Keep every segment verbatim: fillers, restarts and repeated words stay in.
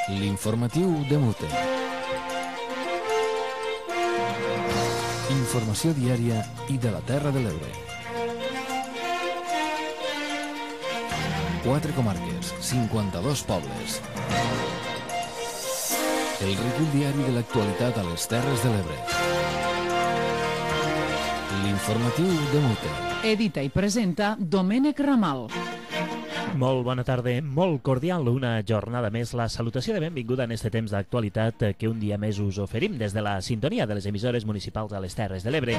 L'informatiu de Mute. Informació diària i de la Terra de l'Ebre. Quatre comarques, cinquanta-dos pobles. El recull diari de l'actualitat a les Terres de l'Ebre. L'informatiu de Mute. Edita i presenta Domènec Ramal. Molt bona tarda, molt cordial, una jornada més, la salutació de benvinguda en este temps d'actualitat que un dia més us oferim des de la sintonia de les emissores municipals a les Terres de l'Ebre.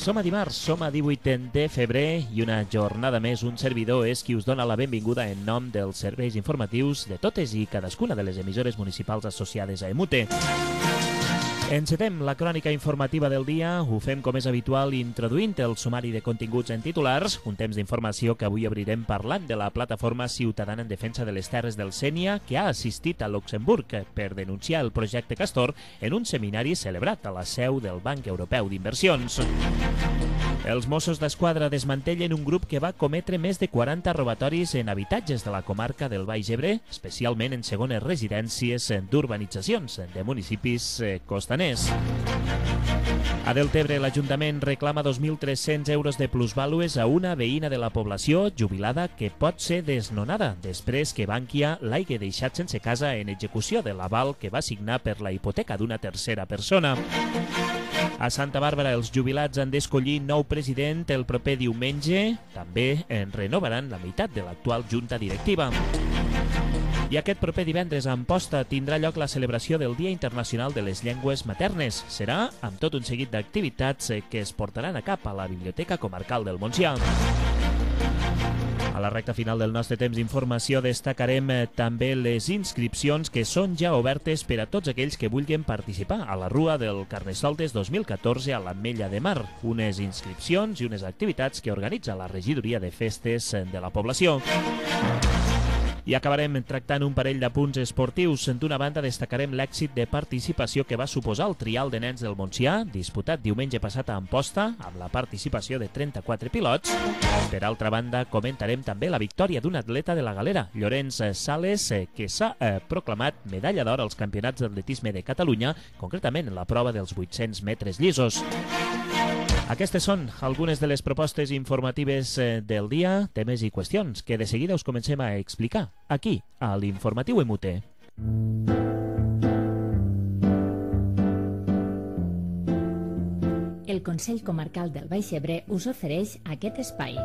Som a dimarts, som a divuit de febrer i una jornada més un servidor és qui us dona la benvinguda en nom dels serveis informatius de totes i cadascuna de les emissores municipals associades a Emute. Encetem la crònica informativa del dia, ho fem com és habitual introduint el sumari de continguts en titulars, un temps d'informació que avui obrirem parlant de la plataforma ciutadana en defensa de les terres del Sénia que ha assistit a Luxemburg per denunciar el projecte Castor en un seminari celebrat a la seu del Banc Europeu d'Inversions. Els Mossos d'Esquadra desmantellen un grup que va cometre més de quaranta robatoris en habitatges de la comarca del Baix Ebre, especialment en segones residències d'urbanitzacions de municipis costaners. A Deltebre, l'Ajuntament reclama dos mil tres-cents euros de plusvàlues a una veïna de la població jubilada que pot ser desnonada després que Bankia l'hagi deixat sense casa en execució de l'aval que va signar per la hipoteca d'una tercera persona. A Santa Bàrbara, els jubilats han d'escollir nou president el proper diumenge. També en renovaran la meitat de l'actual junta directiva. I aquest proper divendres a Amposta tindrà lloc la celebració del Dia Internacional de les Llengües Maternes. Serà amb tot un seguit d'activitats que es portaran a cap a la Biblioteca Comarcal del Montsià. A la recta final del nostre temps d'informació destacarem també les inscripcions que són ja obertes per a tots aquells que vulguin participar a la Rua del Carnestoltes dos mil catorze a l'Ametlla de Mar. Unes inscripcions i unes activitats que organitza la Regidoria de Festes de la població. I acabarem tractant un parell de punts esportius. D'una banda, destacarem l'èxit de participació que va suposar el trial de nens del Montsià, disputat diumenge passat a Amposta, amb la participació de trenta-quatre pilots. Per altra banda, comentarem també la victòria d'un atleta de la Galera, Llorenç Sales, que s'ha eh, proclamat medalla d'or als campionats d'atletisme de Catalunya, concretament en la prova dels vuit-cents metres llisos. Aquestes són algunes de les propostes informatives del dia, temes i qüestions que de seguida us comencem a explicar aquí, a l'Informatiu Emute. El Consell Comarcal del Baix Ebre us ofereix aquest espai.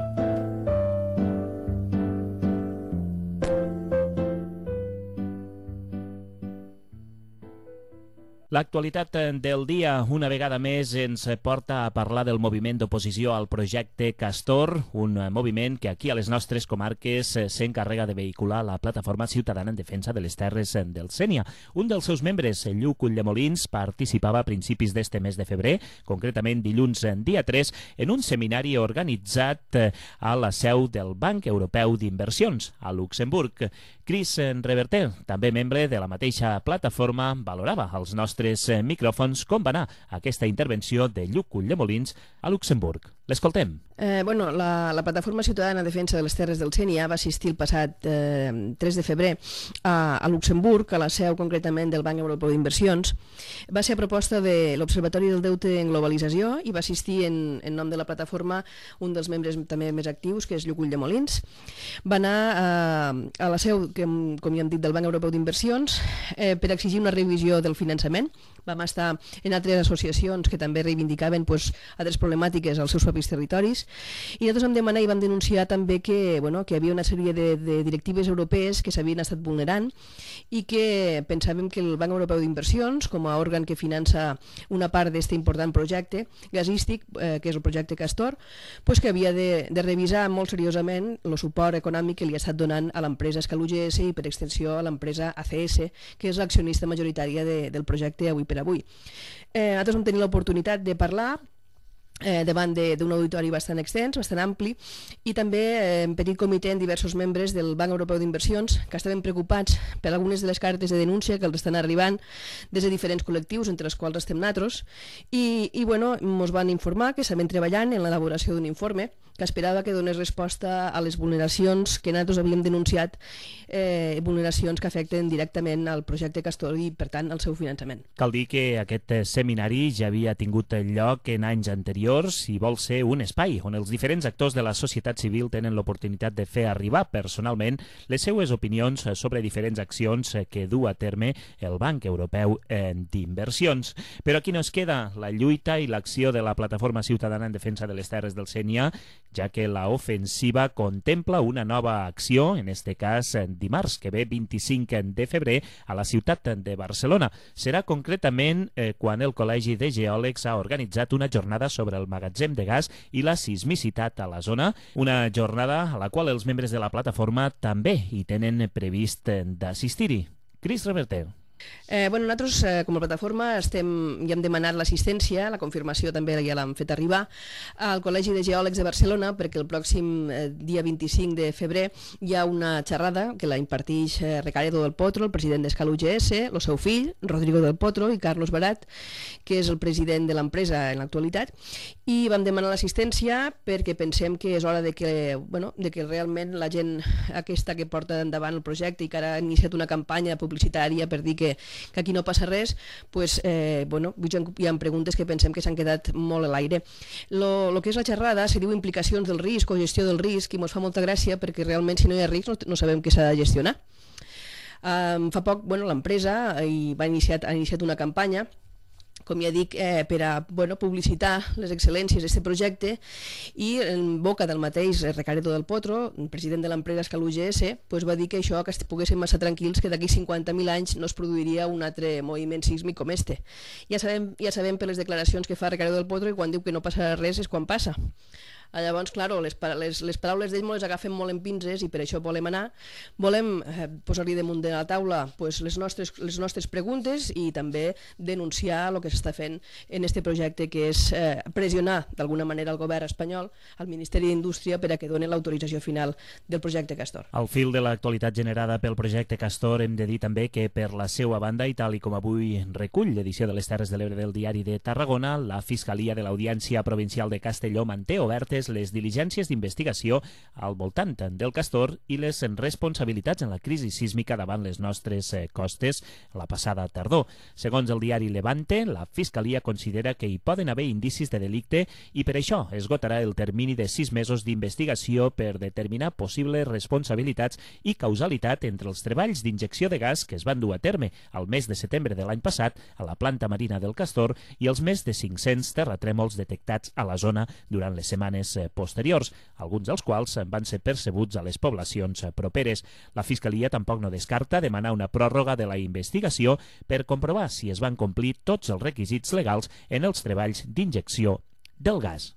L'actualitat del dia, una vegada més, ens porta a parlar del moviment d'oposició al projecte Castor, un moviment que aquí a les nostres comarques s'encarrega de vehicular la plataforma ciutadana en defensa de les terres del Sénia. Un dels seus membres, Lluc Ulldemolins, participava a principis d'este mes de febrer, concretament dilluns dia tres, en un seminari organitzat a la seu del Banc Europeu d'Inversions, a Luxemburg. Cris Reverter, també membre de la mateixa plataforma, valorava els nostres micròfons com va anar aquesta intervenció de Lluc Ulldemolins a Luxemburg. L'escoltem. Eh, bueno, la, la Plataforma Ciutadana de Defensa de les Terres del Sénia va assistir el passat eh, tres de febrer a, a Luxemburg, a la seu concretament del Banc Europeu d'Inversions. Va ser a proposta de l'Observatori del Deute en Globalització i va assistir en, en nom de la plataforma un dels membres també més actius, que és Lluc Ulldemolins. Va anar eh, a la seu, que, com ja hem dit, del Banc Europeu d'Inversions eh, per exigir una revisió del finançament. Vam estar en altres associacions que també reivindicaven pues, altres problemàtiques als seus propis territoris i nosaltres vam demanar i vam denunciar també que, bueno, que hi havia una sèrie de, de directives europees que s'havien estat vulnerant i que pensàvem que el Banc Europeu d'Inversions, com a òrgan que finança una part d'aquest important projecte gasístic, eh, que és el projecte Castor, pues, que havia de, de revisar molt seriosament el suport econòmic que li ha estat donant a l'empresa Escal U G S i per extensió a l'empresa A C S, que és l'accionista majoritària de, del projecte avui per avui. Eh, nosaltres vam tenir l'oportunitat de parlar Eh, davant d'un auditori bastant extens, bastant ampli, i també eh, en petit comitè en diversos membres del Banc Europeu d'Inversions que estaven preocupats per algunes de les cartes de denúncia que els estan arribant des de diferents col·lectius, entre els quals estem nosaltres, i, i bueno, ens van informar que estaven treballant en l'elaboració d'un informe que esperava que donés resposta a les vulneracions que nosaltres havíem denunciat, eh, vulneracions que afecten directament al projecte Castor i, per tant, al seu finançament. Cal dir que aquest seminari ja havia tingut lloc en anys anteriors i vol ser un espai on els diferents actors de la societat civil tenen l'oportunitat de fer arribar personalment les seues opinions sobre diferents accions que du a terme el Banc Europeu d'Inversions. Però aquí no es queda la lluita i l'acció de la Plataforma Ciutadana en Defensa de les Terres del Sénia, ja que la ofensiva contempla una nova acció, en este cas dimarts que ve vint-i-cinc de febrer a la ciutat de Barcelona. Serà concretament eh, quan el Col·legi de Geòlegs ha organitzat una jornada sobre el magatzem de gas i la sismicitat a la zona, una jornada a la qual els membres de la plataforma també hi tenen previst d'assistir-hi. Cris Reverter. Eh, bueno, nosaltres, eh, com a plataforma, estem, ja hem demanat l'assistència, la confirmació també ja l'hem fet arribar al Col·legi de Geòlegs de Barcelona, perquè el pròxim eh, dia vint-i-cinc de febrer hi ha una xerrada que la imparteix eh, Recaredo del Potro, el president d'Escal U G S, el seu fill, Rodrigo del Potro, i Carlos Barat, que és el president de l'empresa en l'actualitat, i vam demanar l'assistència perquè pensem que és hora de que, bueno, de que realment la gent aquesta que porta endavant el projecte i que ara ha iniciat una campanya publicitària per dir que que aquí no passa res, pues, eh, bueno, hi ha preguntes que pensem que s'han quedat molt a l'aire. El que és la xerrada se diu implicacions del risc o gestió del risc i ens fa molta gràcia perquè realment si no hi ha risc no, no sabem què s'ha de gestionar. Um, fa poc bueno, l'empresa ha iniciat, ha iniciat una campanya, com ja dic, eh, per a bueno, publicitar les excel·lències d'aquest projecte, i en boca del mateix Recaredo del Potro, president de l'empresa Escal U G S, pues va dir que això, que poguéssim massa tranquils, que d'aquí cinquanta mil anys no es produiria un altre moviment sísmic com este. Ja sabem, ja sabem per les declaracions que fa Recaredo del Potro, i quan diu que no passarà res és quan passa. Llavors, clar, les, les, les paraules d'ell les agafen molt en pinces i per això volem anar. Volem eh, posar-li damunt de la taula pues, les, nostres, les nostres preguntes i també denunciar el que s'està fent en aquest projecte, que és eh, pressionar d'alguna manera el govern espanyol, al Ministeri d'Indústria, per a que doni l'autorització final del projecte Castor. Al fil de l'actualitat generada pel projecte Castor hem de dir també que per la seva banda, i tal i com avui recull l'edició de les Terres de l'Ebre del Diari de Tarragona, la Fiscalia de l'Audiència Provincial de Castelló manté obertes les diligències d'investigació al voltant del Castor i les responsabilitats en la crisi sísmica davant les nostres costes la passada tardor. Segons el diari Levante, la Fiscalia considera que hi poden haver indicis de delicte i per això esgotarà el termini de sis mesos d'investigació per determinar possibles responsabilitats i causalitat entre els treballs d'injecció de gas que es van dur a terme al mes de setembre de l'any passat a la planta marina del Castor i els més de cinc-cents terratrèmols detectats a la zona durant les setmanes posteriors, alguns dels quals van ser percebuts a les poblacions properes. La Fiscalia tampoc no descarta demanar una pròrroga de la investigació per comprovar si es van complir tots els requisits legals en els treballs d'injecció del gas.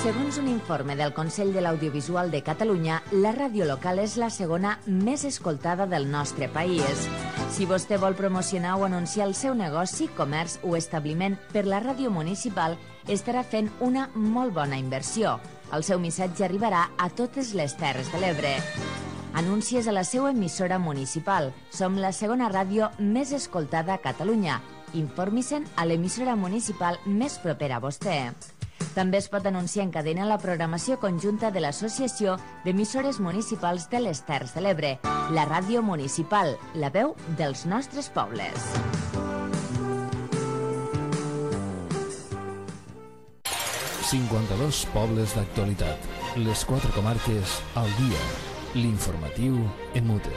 Segons un informe del Consell de l'Audiovisual de Catalunya, la ràdio local és la segona més escoltada del nostre país. Si vostè vol promocionar o anunciar el seu negoci, comerç o establiment per la ràdio municipal, estarà fent una molt bona inversió. El seu missatge arribarà a totes les Terres de l'Ebre. Anuncies a la seva emissora municipal. Som la segona ràdio més escoltada a Catalunya. Informi-se'n a l'emissora municipal més propera a vostè. També es pot anunciar en cadena la programació conjunta de l'Associació d'Emissores Municipals de les Terres de l'Ebre, la ràdio municipal, la veu dels nostres pobles. cinquanta-dos pobles d'actualitat. Les quatre comarques al dia. L'informatiu en mute.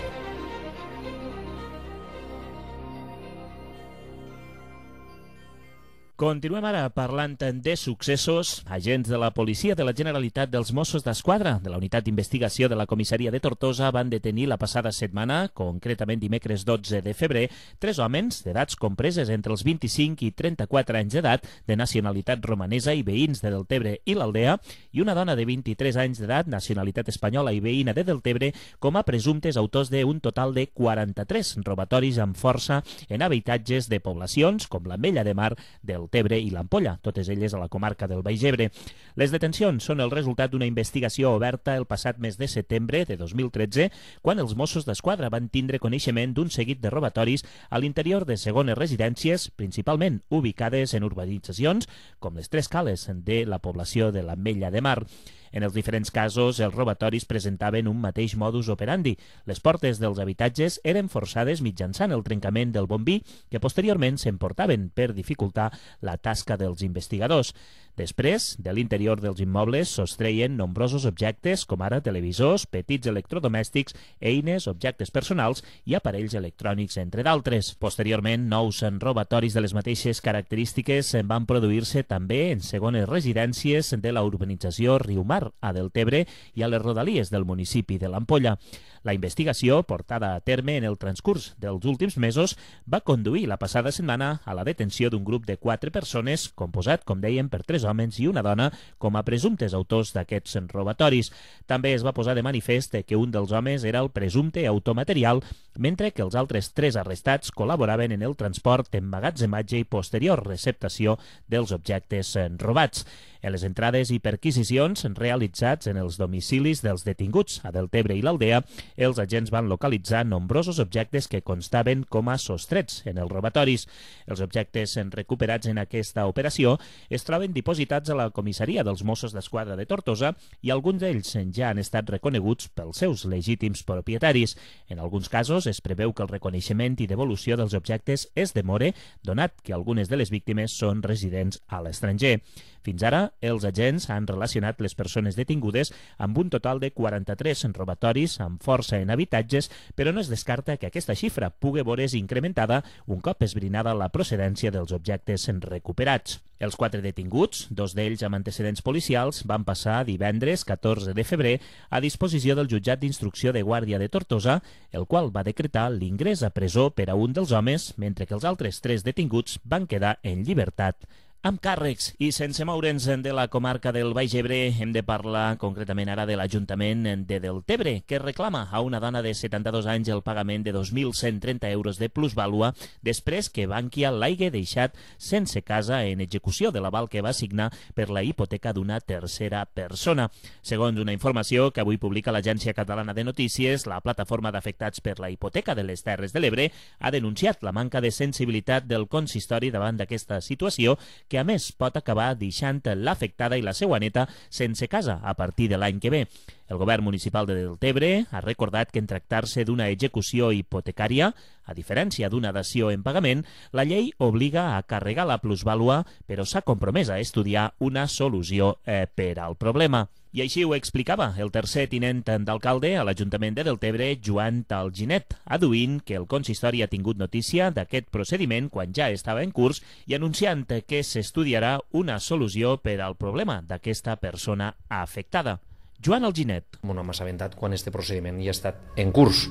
Continuem ara parlant de successos. Agents de la Policia de la Generalitat dels Mossos d'Esquadra de la Unitat d'Investigació de la Comissaria de Tortosa van detenir la passada setmana, concretament dimecres dotze de febrer, tres homes d'edats compreses entre els vint-i-cinc i trenta-quatre anys d'edat, de nacionalitat romanesa i veïns de Deltebre i l'Aldea, i una dona de vint-i-tres anys d'edat, nacionalitat espanyola i veïna de Deltebre, com a presumptes autors d'un total de quaranta-tres robatoris amb força en habitatges de poblacions com l'Ametlla de Mar, del Tebre i l'Ampolla, totes elles a la comarca del Baix Ebre. Les detencions són el resultat d'una investigació oberta el passat mes de setembre de dos mil tretze, quan els Mossos d'Esquadra van tindre coneixement d'un seguit de robatoris a l'interior de segones residències, principalment ubicades en urbanitzacions com les Tres Cales de la població de l'Ametlla de Mar. En els diferents casos, els robatoris presentaven un mateix modus operandi. Les portes dels habitatges eren forçades mitjançant el trencament del bombí, que posteriorment s'emportaven per dificultar la tasca dels investigadors. Després, de l'interior dels immobles sostreien nombrosos objectes, com ara televisors, petits electrodomèstics, eines, objectes personals i aparells electrònics, entre d'altres. Posteriorment, nous robatoris de les mateixes característiques van produir-se també en segones residències de la urbanització Riumar, a Deltebre i a les rodalies del municipi de l'Ampolla. La investigació, portada a terme en el transcurs dels últims mesos, va conduir la passada setmana a la detenció d'un grup de quatre persones, composat, com dèiem, per tres homes i una dona, com a presumptes autors d'aquests robatoris. També es va posar de manifest que un dels homes era el presumpte autor material, mentre que els altres tres arrestats col·laboraven en el transport, emmagatzematge i posterior receptació dels objectes robats. En les entrades i perquisicions realitzats en els domicilis dels detinguts a Deltebre i l'Aldea, els agents van localitzar nombrosos objectes que constaven com a sostrets en els robatoris. Els objectes recuperats en aquesta operació es troben dipositats a la comissaria dels Mossos d'Esquadra de Tortosa i alguns d'ells ja han estat reconeguts pels seus legítims propietaris. En alguns casos es preveu que el reconeixement i devolució dels objectes es demore, donat que algunes de les víctimes són residents a l'estranger. Fins ara, els agents han relacionat les persones detingudes amb un total de quaranta-tres robatoris amb força en habitatges, però no es descarta que aquesta xifra pugui veure's incrementada un cop esbrinada la procedència dels objectes recuperats. Els quatre detinguts, dos d'ells amb antecedents policials, van passar divendres catorze de febrer a disposició del jutjat d'instrucció de Guàrdia de Tortosa, el qual va decretar l'ingrés a presó per a un dels homes, mentre que els altres tres detinguts van quedar en llibertat amb càrrecs. I sense moure'ns de la comarca del Baix Ebre, hem de parlar concretament ara de l'Ajuntament de Deltebre, que reclama a una dona de setanta-dos anys el pagament de dos mil cent trenta euros de plusvàlua després que Bankia l'hagi deixat sense casa en execució de l'aval que va signar per la hipoteca d'una tercera persona. Segons una informació que avui publica l'Agència Catalana de Notícies, la plataforma d'afectats per la hipoteca de les Terres de l'Ebre ha denunciat la manca de sensibilitat del consistori davant d'aquesta situació, que a més pot acabar deixant l'afectada i la seva neta sense casa a partir de l'any que ve. El govern municipal de Deltebre ha recordat que en tractar-se d'una execució hipotecària, a diferència d'una dació en pagament, la llei obliga a carregar la plusvàlua, però s'ha compromès a estudiar una solució eh, per al problema. I així ho explicava el tercer tinent d'alcalde a l'Ajuntament de Deltebre, Joan Talginet, aduint que el consistori ha tingut notícia d'aquest procediment quan ja estava en curs i anunciant que s'estudiarà una solució per al problema d'aquesta persona afectada. Joan Alginet. No m'ha assabentat quan aquest procediment ja ha estat en curs.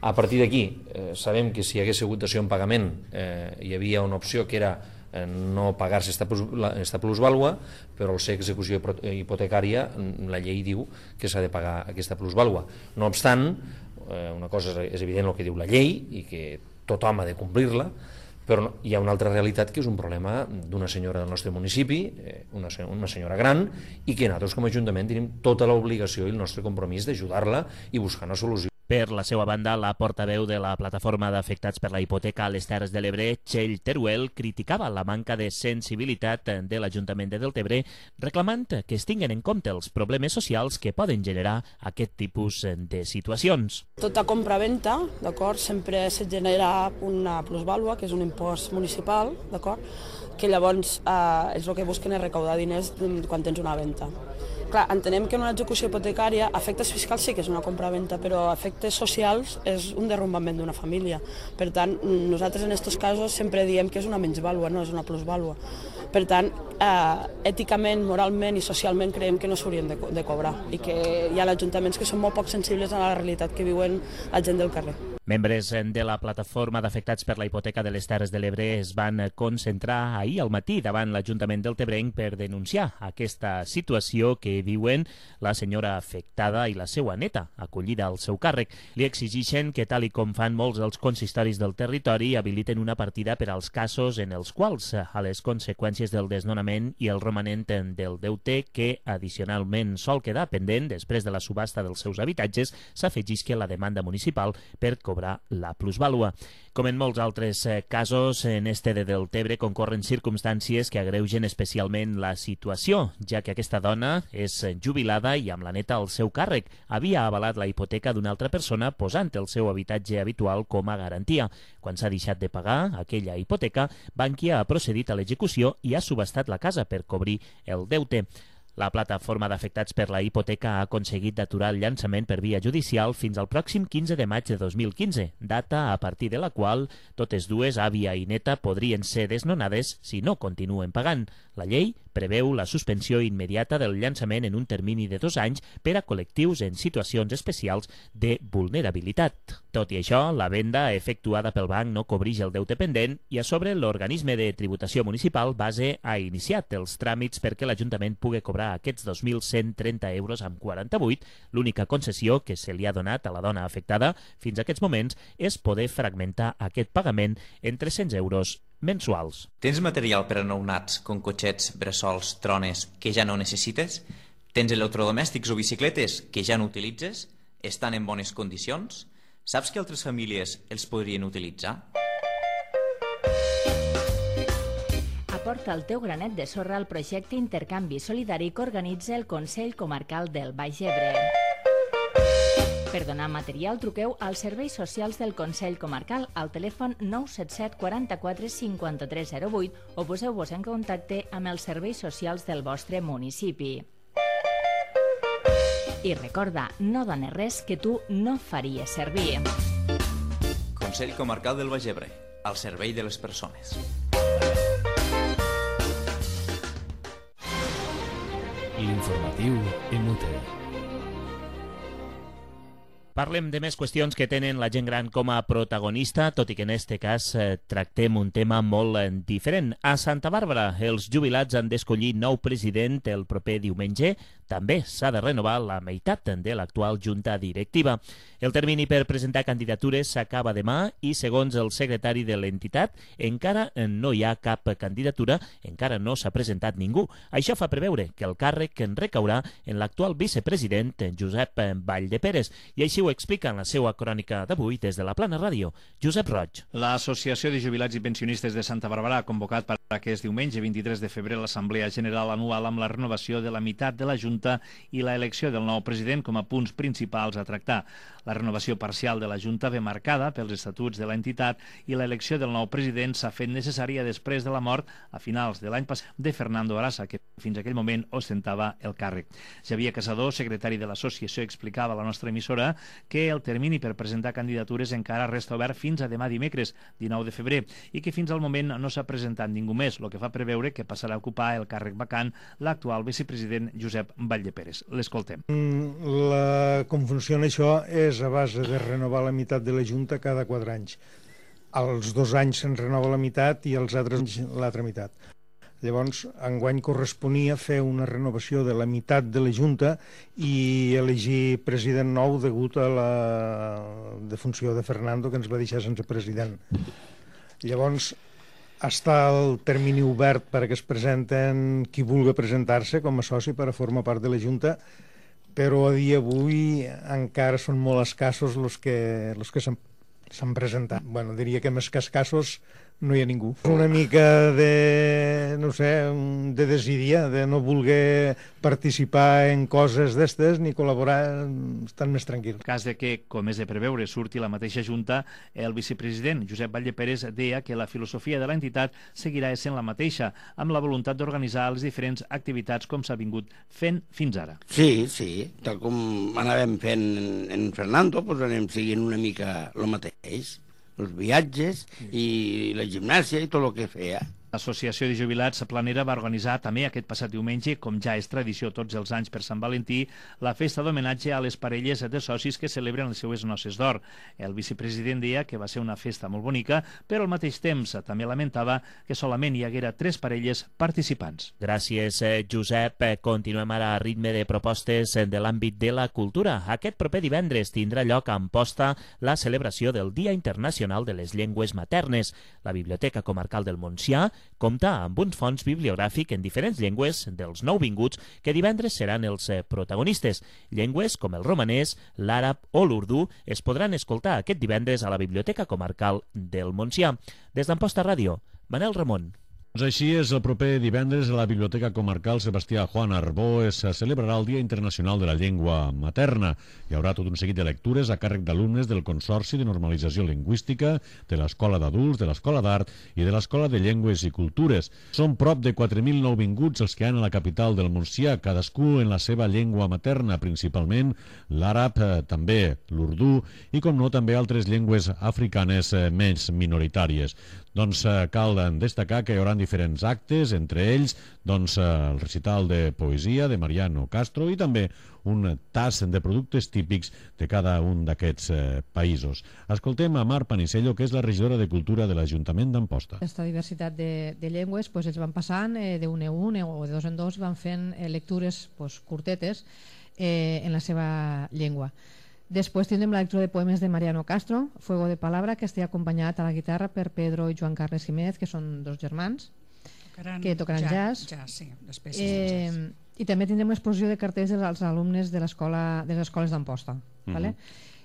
A partir d'aquí, eh, sabem que si hi hagués hagut dació en pagament eh, hi havia una opció que era no pagar-se aquesta plusvàlua, però al ser execució hipotecària la llei diu que s'ha de pagar aquesta plusvàlua. No obstant, una cosa és evident el que diu la llei i que tothom ha de complir-la, però hi ha una altra realitat que és un problema d'una senyora del nostre municipi, una senyora gran, i que nosaltres com a Ajuntament tenim tota l'obligació i el nostre compromís d'ajudar-la i buscar una solució. Per la seva banda, la portaveu de la plataforma d'afectats per la hipoteca a les Terres de l'Ebre, Txell Teruel, criticava la manca de sensibilitat de l'Ajuntament de Deltebre, reclamant que es tinguen en compte els problemes socials que poden generar aquest tipus de situacions. Tota compra-venta, d'acord, sempre se genera una plusvàlua, que és un impost municipal, d'acord, que llavors eh, és el que busquen és recaudar diners quan tens una venda. Clar, entenem que en una execució hipotecària efectes fiscals sí que és una compra-venta, però efectes socials és un derrumbament d'una família. Per tant, nosaltres en aquests casos sempre diem que és una menysvàlua, no és una plusvàlua. Per tant, eh, èticament, moralment i socialment creiem que no s'haurien de, de cobrar i que hi ha ajuntaments que són molt poc sensibles a la realitat que viuen la gent del carrer. Membres de la plataforma d'afectats per la hipoteca de les Terres de l'Ebre es van concentrar ahir al matí davant l'Ajuntament del Tebrenc per denunciar aquesta situació que viuen la senyora afectada i la seva neta, acollida al seu càrrec. Li exigeixen que, tal i com fan molts dels consistoris del territori, habiliten una partida per als casos en els quals, a les conseqüències del desnonament i el romanent del deute que, addicionalment, sol quedar pendent després de la subhasta dels seus habitatges, s'afegisca la demanda municipal per cobrar la plusvàlua. Com en molts altres casos, en este de Deltebre concorren circumstàncies que agreugen especialment la situació, ja que aquesta dona és jubilada i amb la neta al seu càrrec. Havia avalat la hipoteca d'una altra persona posant el seu habitatge habitual com a garantia. Quan s'ha deixat de pagar aquella hipoteca, Bankia ha procedit a l'execució i ha subhastat la casa per cobrir el deute. La plataforma d'afectats per la hipoteca ha aconseguit d'aturar el llançament per via judicial fins al pròxim quinze de maig de dos mil quinze, data a partir de la qual totes dues, àvia i neta, podrien ser desnonades si no continuen pagant. La llei preveu la suspensió immediata del llançament en un termini de dos anys per a col·lectius en situacions especials de vulnerabilitat. Tot i això, la venda efectuada pel banc no cobreix el deute pendent i a sobre l'organisme de tributació municipal base ha iniciat els tràmits perquè l'Ajuntament pugui cobrar aquests dos mil cent trenta euros amb quaranta-vuit. L'única concessió que se li ha donat a la dona afectada fins a aquests moments és poder fragmentar aquest pagament en tres-cents euros mensuals. Tens material per a nounats, com cotxets, bressols, trones, que ja no necessites? Tens electrodomèstics o bicicletes que ja no utilitzes? Estan en bones condicions? Saps que altres famílies els podrien utilitzar? Aporta el teu granet de sorra al projecte Intercanvi Solidari que organitza el Consell Comarcal del Baix Ebre. Per donar material, truqueu als serveis socials del Consell Comarcal al telèfon nou set set quaranta-quatre cinquanta-tres zero vuit o poseu-vos en contacte amb els serveis socials del vostre municipi. I recorda, no dones res que tu no faries servir. Consell Comarcal del Baix Ebre, al servei de les persones. L'informatiu Emute. Parlem de més qüestions que tenen la gent gran com a protagonista, tot i que en este cas eh, tractem un tema molt eh, diferent. A Santa Bàrbara, els jubilats han d'escollir nou president el proper diumenge. També s'ha de renovar la meitat de l'actual junta directiva. El termini per presentar candidatures s'acaba demà i, segons el secretari de l'entitat, encara no hi ha cap candidatura, encara no s'ha presentat ningú. Això fa preveure que el càrrec en recaurà en l'actual vicepresident Josep Valldeperes, i així ho explica en la seva crònica d'avui des de la Plana Ràdio, Josep Roig. L'Associació de Jubilats i Pensionistes de Santa Bàrbara ha convocat per aquest diumenge vint-i-tres de febrer l'Assemblea General Anual amb la renovació de la meitat de la Junta i la elecció del nou president com a punts principals a tractar. La renovació parcial de la Junta ve marcada pels estatuts de l'entitat i l'elecció del nou president s'ha fet necessària després de la mort a finals de l'any passat de Fernando Arasa, que fins a aquell moment ostentava el càrrec. Xavier Casador, secretari de l'associació, explicava a la nostra emissora que el termini per presentar candidatures encara resta obert fins a demà dimecres, dinou de febrer, i que fins al moment no s'ha presentat ningú més, el que fa preveure que passarà a ocupar el càrrec vacant l'actual vicepresident Josep Valldeperes. L'escoltem. La, com funciona això és a base de renovar la meitat de la Junta cada quatre anys. Als dos anys se'n renova la meitat i als altres anys l'altra meitat. Llavors, enguany corresponia fer una renovació de la meitat de la Junta i elegir president nou degut a la defunció de Fernando, que ens va deixar sense president. Llavors, està el termini obert perquè es presenten qui vulgui presentar-se com a soci per a formar part de la Junta, però a dia d'avui encara són molt escassos els que, els que s'han presentat. Bueno, diria que més que escassos no hi ha ningú. Una mica de, no sé, de desídia, de no voler participar en coses d'estes ni col·laborar, estan més tranquils. En cas de que, com és de preveure, surti la mateixa Junta, el vicepresident Josep Valldeperes deia que la filosofia de l'entitat seguirà essent la mateixa, amb la voluntat d'organitzar les diferents activitats com s'ha vingut fent fins ara. Sí, sí, tal com anàvem fent en Fernando, doncs anem seguint una mica el mateix. Els viatges i la gimnàsia i tot el que feia. L'Associació de Jubilats Planera va organitzar també aquest passat diumenge, com ja és tradició tots els anys per Sant Valentí, la festa d'homenatge a les parelles de socis que celebren les seues noces d'or. El vicepresident deia que va ser una festa molt bonica, però al mateix temps també lamentava que solament hi haguera tres parelles participants. Gràcies, Josep. Continuem ara a ritme de propostes de l'àmbit de la cultura. Aquest proper divendres tindrà lloc a Amposta la celebració del Dia Internacional de les Llengües Maternes. La Biblioteca Comarcal del Montsià compta amb un fons bibliogràfic en diferents llengües dels nouvinguts que divendres seran els protagonistes. Llengües com el romanès, l'àrab o l'urdú es podran escoltar aquest divendres a la Biblioteca Comarcal del Montsià. Des d'Amposta Ràdio, Manel Ramon. Doncs així és, el proper divendres a la Biblioteca Comarcal Sebastià Juan Arbó es celebrarà el Dia Internacional de la Llengua Materna. Hi haurà tot un seguit de lectures a càrrec d'alumnes del Consorci de Normalització Lingüística, de l'Escola d'Adults, de l'Escola d'Art i de l'Escola de Llengües i Cultures. Són prop de quatre mil nouvinguts els que hi ha a la capital del Montsià, cadascú en la seva llengua materna, principalment l'àrab, eh, també l'urdú i, com no, també altres llengües africanes eh, més minoritàries. Doncs eh, cal destacar que hi haurà diferents actes, entre ells doncs, el recital de poesia de Mariano Castro i també un tas de productes típics de cada un d'aquests eh, països. Escoltem a Mar Panisello, que és la regidora de Cultura de l'Ajuntament d'Amposta. Aquesta diversitat de, de llengües pues, els van passant eh, d'un en un o de dos en dos, van fent eh, lectures pues, curtetes eh, en la seva llengua. Després tindrem la lectura de poemes de Mariano Castro, Fuego de Palabra, que estarà acompanyat a la guitarra per Pedro i Joan Carles Jiménez, que són dos germans tocaran que tocaran jazz, jazz. jazz sí, eh, jazz. I també tindrem una exposició de cartells dels alumnes de, de les escoles d'Amposta. Uh-huh. Vale?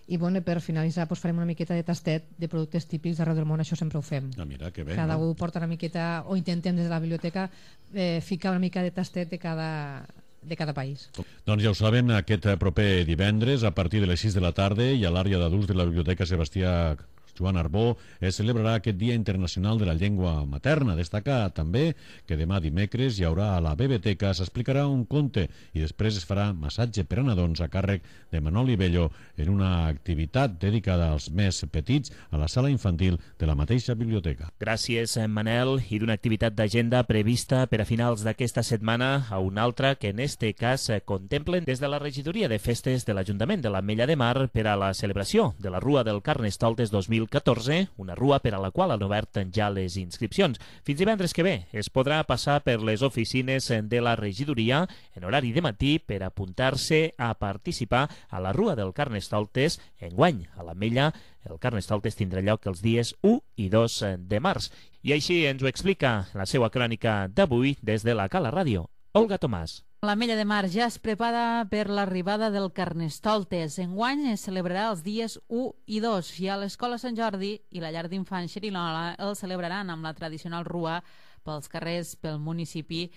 I bueno, per finalitzar pues, farem una miqueta de tastet de productes típics d'arreu del món, això sempre ho fem. Ah, mira, que bé, cada no? un porta una miqueta, o intentem des de la biblioteca eh, ficar una mica de tastet de cada... de cada país. Doncs ja ho saben, aquest proper divendres a partir de les sis de la tarda i a l'àrea d'adults de la Biblioteca Sebastià Joan Arbó es celebrarà aquest Dia Internacional de la Llengua Materna. Destaca també que demà dimecres hi haurà a la Biblioteca, s'explicarà un conte i després es farà massatge per a nadons a càrrec de Manoli Bello en una activitat dedicada als més petits a la sala infantil de la mateixa biblioteca. Gràcies, Manel. I d'una activitat d'agenda prevista per a finals d'aquesta setmana a una altra que en este cas contemplen des de la regidoria de festes de l'Ajuntament de l'Ametlla de Mar per a la celebració de la Rua del Carnestoltes dos mil catorze, una rua per a la qual han obert ja les inscripcions. Fins divendres que ve es podrà passar per les oficines de la regidoria en horari de matí per apuntar-se a participar a la Rua del Carnestoltes. Enguany, a l'Ametlla, el Carnestoltes tindrà lloc els dies u i dos de març. I així ens ho explica la seva crònica d'avui des de la Cala Ràdio, Olga Tomàs. L'Ametlla de Mar ja es prepara per l'arribada del Carnestoltes. Enguany es celebrarà els dies u i dos i a l'Escola Sant Jordi i la llar d'infants Xerinola el celebraran amb la tradicional rua pels carrers pel municipi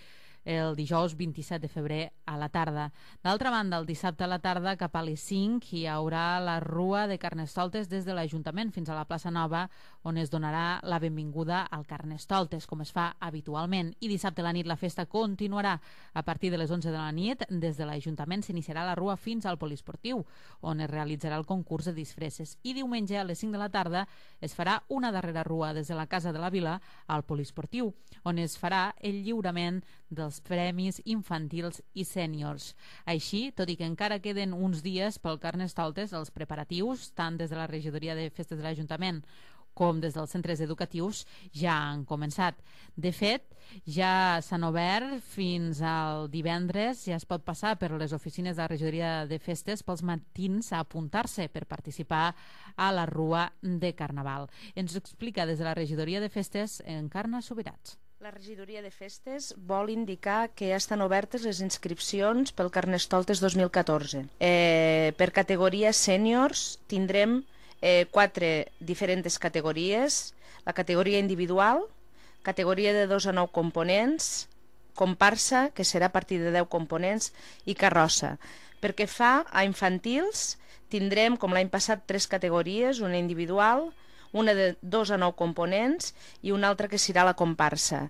el dijous vint-i-set de febrer a la tarda. D'altra banda, el dissabte a la tarda cap a les cinc hi haurà la Rua de Carnestoltes des de l'Ajuntament fins a la plaça Nova, on es donarà la benvinguda al Carnestoltes, com es fa habitualment. I dissabte a la nit la festa continuarà. A partir de les onze de la nit, des de l'Ajuntament s'iniciarà la Rua fins al Poliesportiu, on es realitzarà el concurs de disfresses. I diumenge a les cinc de la tarda es farà una darrera rua des de la Casa de la Vila al Poliesportiu, on es farà el lliurament dels premis infantils i sèniors. Així, tot i que encara queden uns dies pel Carnestoltes, els preparatius, tant des de la regidoria de festes de l'Ajuntament com des dels centres educatius, ja han començat. De fet, ja s'han obert fins al divendres, ja es pot passar per les oficines de la regidoria de festes pels matins a apuntar-se per participar a la Rua de Carnaval. Ens ho explica des de la regidoria de festes Encarna Subirats. La regidoria de festes vol indicar que ja estan obertes les inscripcions pel Carnestoltes dos mil catorze. Eh, per categoria sèniors tindrem eh, quatre diferents categories. La categoria individual, categoria de dos a nou components, comparsa, que serà a partir de deu components, i carrossa. Per què fa a infantils, tindrem, com l'any passat, tres categories, una individual, una de dos a nou components i una altra que serà la comparsa.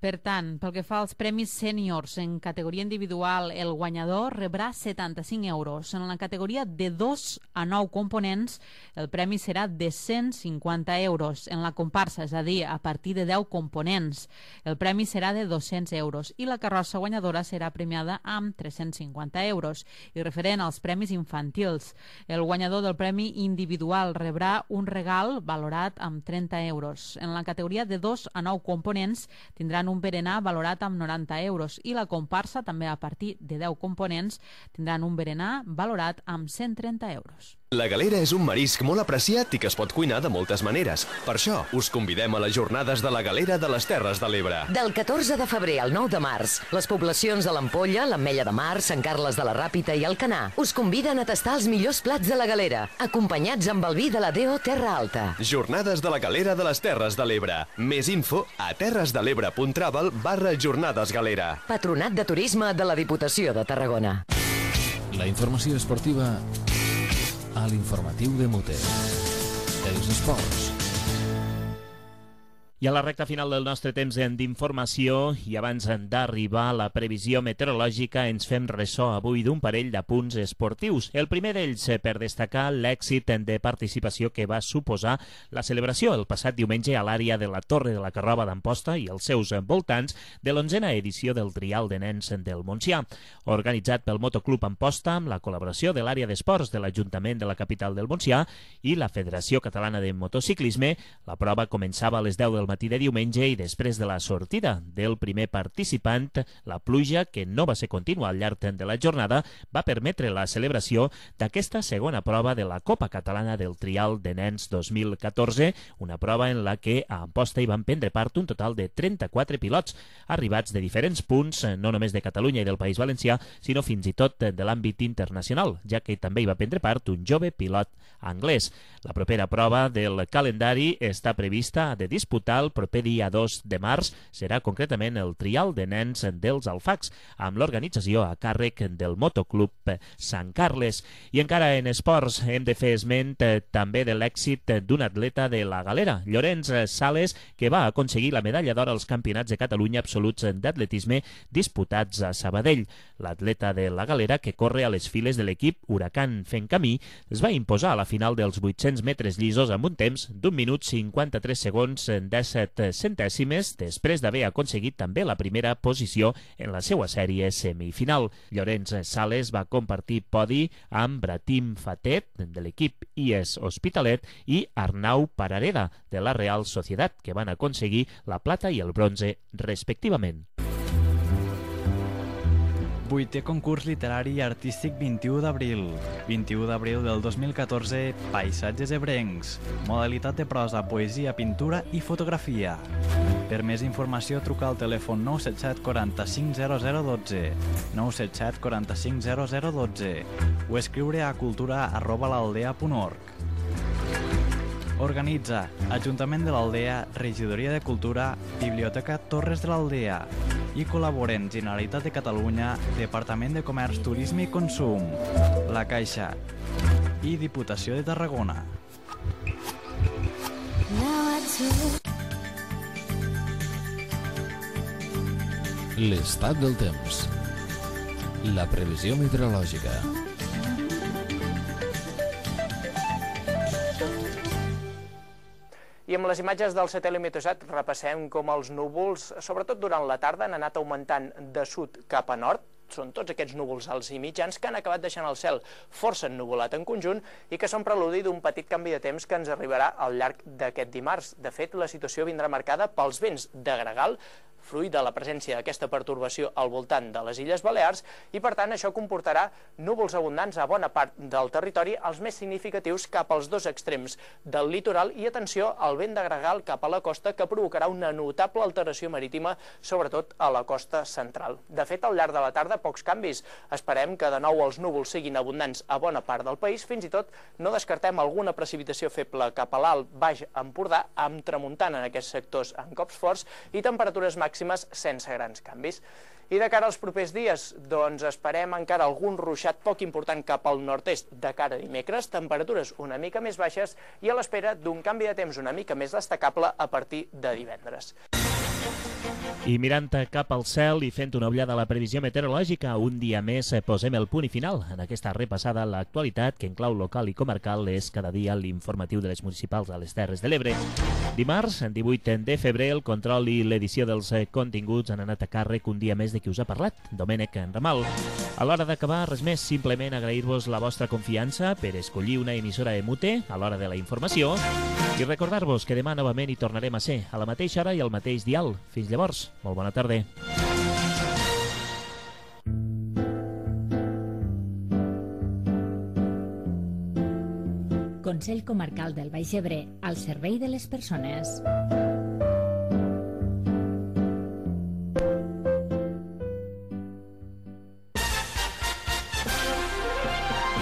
Per tant, pel que fa als premis sèniors en categoria individual, el guanyador rebrà setanta-cinc euros. En la categoria de dos a nou components, el premi serà de cent cinquanta euros. En la comparsa, és a dir, a partir de deu components, el premi serà de dos-cents euros i la carrossa guanyadora serà premiada amb tres-cents cinquanta euros. I referent als premis infantils, el guanyador del premi individual rebrà un regal valorat amb trenta euros. En la categoria de dos a nou components tindran un berenar valorat amb noranta euros i la comparsa, també a partir de deu components, tindran un berenar valorat amb cent trenta euros. La galera és un marisc molt apreciat i que es pot cuinar de moltes maneres. Per això, us convidem a les jornades de la galera de les Terres de l'Ebre. Del catorze de febrer al nou de març, les poblacions de l'Ampolla, l'Ametlla de Mar, Sant Carles de la Ràpita i Alcanar us conviden a tastar els millors plats de la galera, acompanyats amb el vi de la D O Terra Alta. Jornades de la galera de les Terres de l'Ebre. Més info a terresdelebre.travel barra jornades galera. Patronat de Turisme de la Diputació de Tarragona. La informació esportiva a l'informatiu de Mote. Els esports. I a la recta final del nostre temps d'informació i abans d'arribar a la previsió meteorològica ens fem ressò avui d'un parell d'apunts esportius. El primer d'ells per destacar l'èxit de participació que va suposar la celebració el passat diumenge a l'àrea de la Torre de la Carrova d'Amposta i els seus voltants de l'onzena edició del Trial de Nens del Montsià. Organitzat pel Motoclub Amposta amb la col·laboració de l'àrea d'esports de l'Ajuntament de la capital del Montsià i la Federació Catalana de Motociclisme, la prova començava a les deu del matí de diumenge i després de la sortida del primer participant, la pluja, que no va ser contínua al llarg de la jornada, va permetre la celebració d'aquesta segona prova de la Copa Catalana del Trial de Nens dos mil catorze, una prova en la que a Amposta hi van prendre part un total de trenta-quatre pilots, arribats de diferents punts, no només de Catalunya i del País Valencià, sinó fins i tot de l'àmbit internacional, ja que també hi va prendre part un jove pilot anglès. La propera prova del calendari està prevista de disputar el proper dia dos de març, serà concretament el Trial de Nens dels Alfacs, amb l'organització a càrrec del Motoclub Sant Carles. I encara en esports hem de fer esment també de l'èxit d'un atleta de la galera, Llorenç Sales, que va aconseguir la medalla d'or als Campionats de Catalunya absoluts d'atletisme disputats a Sabadell. L'atleta de la galera, que corre a les files de l'equip Huracan Fent Camí, es va imposar a la final dels vuit-cents metres llisos amb un temps d'un minut cinquanta-tres segons disset centèsimes, després d'haver aconseguit també la primera posició en la seva sèrie semifinal. Llorenç Sales va compartir podi amb Bratim Fatet, de l'equip I E S Hospitalet, i Arnau Parareda, de la Real Societat, que van aconseguir la plata i el bronze, respectivament. Vuitè concurs literari i artístic vint-i-u d'abril. vint-i-u d'abril del dos mil catorze, Paisatges ebrencs. Modalitat de prosa, poesia, pintura i fotografia. Per més informació, truca al telèfon nou set set quaranta-cinc zero zero dotze, nou set set quaranta-cinc zero zero dotze o escriure a cultura arroba l'aldea punt org. Organitza Ajuntament de l'Aldea, Regidoria de Cultura, Biblioteca Torres de l'Aldea i col·laboren Generalitat de Catalunya, Departament de Comerç, Turisme i Consum, La Caixa i Diputació de Tarragona. L'estat del temps. La previsió meteorològica. I amb les imatges del satèl·lit Meteosat repassem com els núvols, sobretot durant la tarda, han anat augmentant de sud cap a nord. Són tots aquests núvols alts i mitjans que han acabat deixant el cel força ennuvolat en conjunt i que són preludi d'un petit canvi de temps que ens arribarà al llarg d'aquest dimarts. De fet, la situació vindrà marcada pels vents de gregal, fruit de la presència d'aquesta pertorbació al voltant de les Illes Balears, i per tant això comportarà núvols abundants a bona part del territori, els més significatius cap als dos extrems del litoral, i atenció al vent de gregal cap a la costa, que provocarà una notable alteració marítima, sobretot a la costa central. De fet, al llarg de la tarda, pocs canvis. Esperem que de nou els núvols siguin abundants a bona part del país, fins i tot no descartem alguna precipitació feble cap a l'alt Baix Empordà, amb tramuntana en aquests sectors en cops forts i temperatures màximes sense grans canvis. I de cara als propers dies, doncs esperem encara algun ruixat poc important cap al nord-est de cara a dimecres, temperatures una mica més baixes i a l'espera d'un canvi de temps una mica més destacable a partir de divendres. I mirant cap al cel i fent una ullada a la previsió meteorològica, un dia més posem el punt i final en aquesta repassada a l'actualitat que en clau local i comarcal és cada dia l'informatiu de les municipals a les Terres de l'Ebre. Dimarts, divuit de febrer, el control i l'edició dels continguts han anat a càrrec un dia més de qui us ha parlat, Domènec Ramal. A l'hora d'acabar, res més, simplement agrair-vos la vostra confiança per escollir una emissora E M U T E a l'hora de la informació i recordar-vos que demà novament hi tornarem a ser a la mateixa hora i al mateix dial. Fins llavors, molt bona tarda. Consell Comarcal del Baix Ebre, al servei de les persones.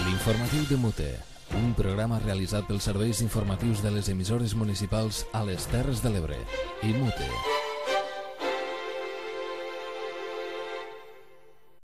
L'informatiu de Mute, un programa realitzat pels serveis informatius de les emissores municipals a les Terres de l'Ebre. I Mute.